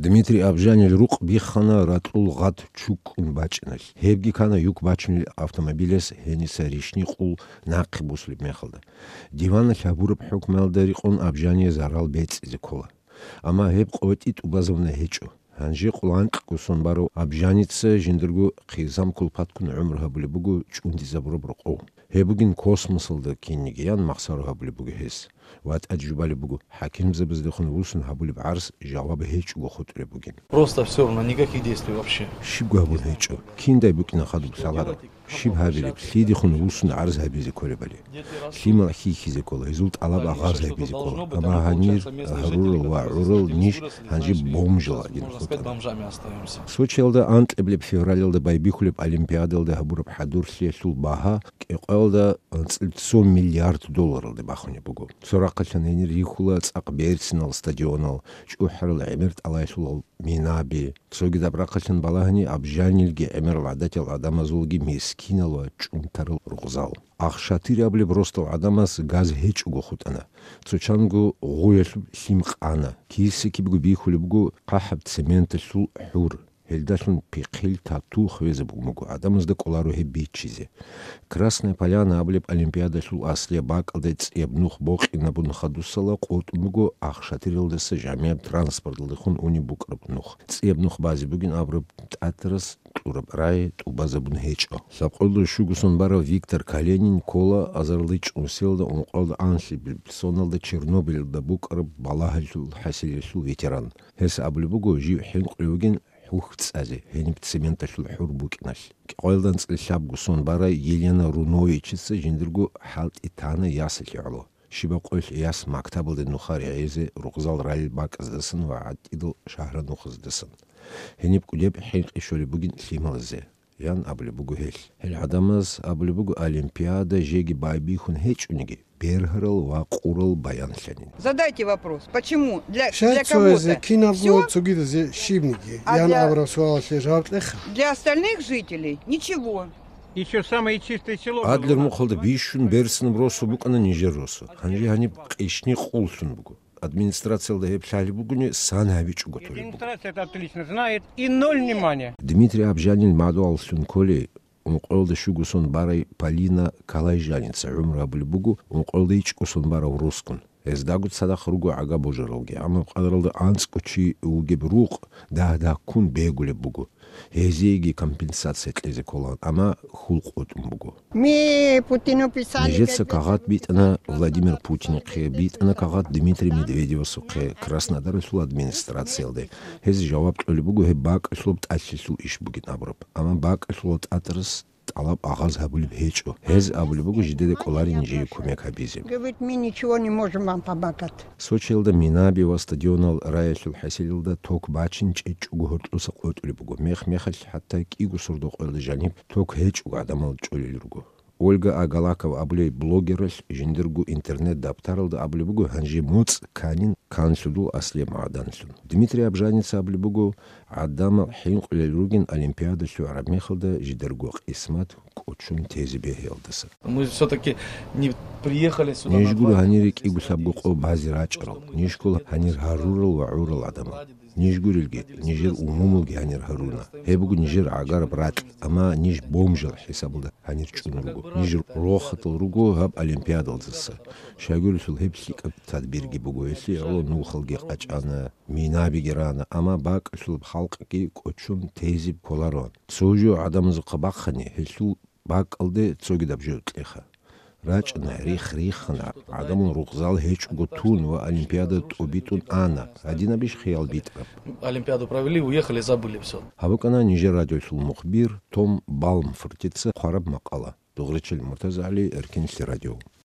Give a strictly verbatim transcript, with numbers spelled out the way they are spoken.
Дмитрий Абжанил рукъ биххана ракьул гъат чуккун бачӀиналъ. Гьебги ккана юк бачунел автомобилас гьениса рищни къул нахъе бусулеб мехалда. Диваналъ гьабураб хӀукмуялда рекъон Абжание зарал бецӀизе ккола. Амма гьеб къотӀи тӀубазабуна гьечӀо. Гьанже къуланкъго сон барав Абжаница жиндирго хъизан кулпатккун гӀумру гьабулеб буго чӀундизабураб рокъов. Гьеб бугин космосалда кинигиян махсаро гьабулеб буго гьес. Ва тӀад жубалеб буго, хӀакимзабаздехун вуссун гьабулеб гӀарз жаваб гьечӀого хутӀулеб бугин. Просто всё равно, никаких действий вообще. Щибго гьабун гьечӀо. Киндай букӀина хадуб лъаларал? Щиб гьабилеб, лъидехун вуссун гӀарз гьабизе кколебали? Лъимал хьихьизе ккола, гьезул тӀалаб агъаз гьабизе ккола. Амма гьанир гьарурал ва гӀурал ниж гьанже бомжал гӀадин хутӀана. Сочиялда анкьабилеб февралалда байбихьулеб Олимпиадалда гьабураб хӀадурлъиялъул багьа кӀикъоялда анцӀил цо миллиард долларалде бахунеб буго. Цо рахъалъан гьенир рихьула цӀакъ берцинал стадионал, чӀухӀарал гӀемер тӀалаялъул минаби, цогидаб рахъалъан балагьани Абжанилги гӀемерал гӀадатиял гӀадамазулги мискинал ва чӀунтарал рукъзал. Ахшатир абулеб росдал гӀадамас газ гьечӀого хутӀана. Цо чанго гъуялъуб лъим къана. Кисикибго бихьулеб буго хъахӀаб цементалъул хӀур. Гьелдалъун пихъил тату хвезабун буго, гӀадамазда кӀоларо гьеб биччизе. Красная Поляна абулеб олимпиадалъул аслияб бакӀалде цӀияб нух бокьинабун хадусала къотӀун буго Ахшатиралдаса жамигӀаб транспорталдехун унеб букӀараб нух. ЦӀияб нух базе бугин абураб тӀатарас кьураб рай тӀубазабун гьечӀо. Лъабкъоялда щуго сон барав Виктор Калинин ккола азарилда чӀун селалда ункъоялда анлъабилеб соналда Чернобыльалда букӀараб балагьалъул хӀасилиялъул ветеран. Гьес абулеб буго, жив хӀинкъулев вугин хӀухь цӀазе, гьениб цементалъул хӀур букӀиналъ. КӀикъоялда анцӀила лъабго сон барай Елена Руновичица жиндирго хӀалтӀи тана ясалъе гӀоло. Щибаб къоялъ яс мактабалде нухалъ гӀезе рукъзал ралел бакӀаздасан ва гӀатӀидал шагьар нухаздасан. Гьениб кӀудеб хӀинкъи щолеб бугин лъималазе, ян абулеб буго гьелъ. Гьел гӀадамаз абулеб буго, олимпиада жеги байбихьун гьечӀониги, бергьарал ва къурал баянлъанин. Задайте вопрос, почему для, для кого-то кинабго, цогидазе щибниги, а ян абураб суалалъе жаваб кьеха. Для остальных жителей ничего. Еще самое чистое село. Адлер мухъалда бищун берцинаб росу букӀана нижер росу. Гьанже гьаниб къищни къуллъун буго. Администрациялда гьеб лъалеб бугони, сан гьабичӀого толеб буго. Администрация это отлично знает, и ноль внимания. Дмитрий Абжанил мадугьаллъун кколей, ункъоялда щуго сон барай Полина Калайжаница гӀумру гьабулеб буго, ункъоялда ичӀго сон барав росгун. Гьездаго цадахъ руго гӀага божаралги, амма къадаралда анцӀго чи вугеб рукъ дагь-дагьккун бегулеб буго. Гьезиеги компенсация кьезе кколаан, амма хьул къотӀун буго. Нижеца кагъат битӀана Владимир Путинихъе, битӀана кагъат Дмитрий Медведевасухъе Краснодаралъул администрациялде. Гьез жаваб кьолеб буго гьеб бакӀалъулаб тӀалъилъул иш бугин абураб. Амма бакӀалъулал тӀатарас тӀалаб агъаз гьабулеб гьечӀо. Гьез абулеб буго жидеда кӀоларин жие кумек гьабизе. Говорит, мы ничего не можем вам помогать. Сочиялда минаби ва стадионал раялъул хӀасилалда ток бачин чӀечӀого гьоркьоса къотӀулеб буго. Мех-мехалъ хӀатта кӀиго сордо-къоялда жаниб ток гьечӀого гӀадамал чӀолел руго. Ольга Агалакова абулей блогералъ жиндирго интернет-даптаралда абулеб буго, гьанже моцӀ кканин канлъудул аслияб магӀданлъун. Дмитрий Абжаница абулеб буго, гӀадамал хӀинкъулел ругин олимпиада лъугӀараб мехалда жидарго къисмат кӀочон тезе бегьиялдаса. Мы всё-таки не приехали сюда на два дня. Ниж гуро гьанире кӀиго-лъабго къо базе рачӀарал, ниж ккола гьанир гьарурал ва гӀурал гӀадамал. Ниж гурелги, нижер умумулги гьанир гьаруна. Гьеб буго нижер гӀагараб ракь, амма ниж бомжал хӀисабалда гьанир чӀун руго. Ниж рохатал руго гьаб олимпиадалдаса. Щайгурелъул гьеб лъикӀаб тадбирги буго, гьелъие гӀоло нухалги къачӀана, минабиги рана, амма бакӀалъулаб халкъги кӀочон тезиб кколароан. Цо жо гӀадамазухъа бахъани, гьелъул бакӀалде цогидаб жо кьеха. РачӀана, рихх риххана, гӀадамал рукъзал гьечӀого тун ва олимпиада тӀубитӀун ана. Гьадинабищ хиял битӀараб? Олимпиаду провели, уехали, забыли всё. Гьаб букӀана нижер радиолъул мухбир Том Балмфортица хъвараб макъала. Дугъричил МуртазагӀали, Эркинлъи радио.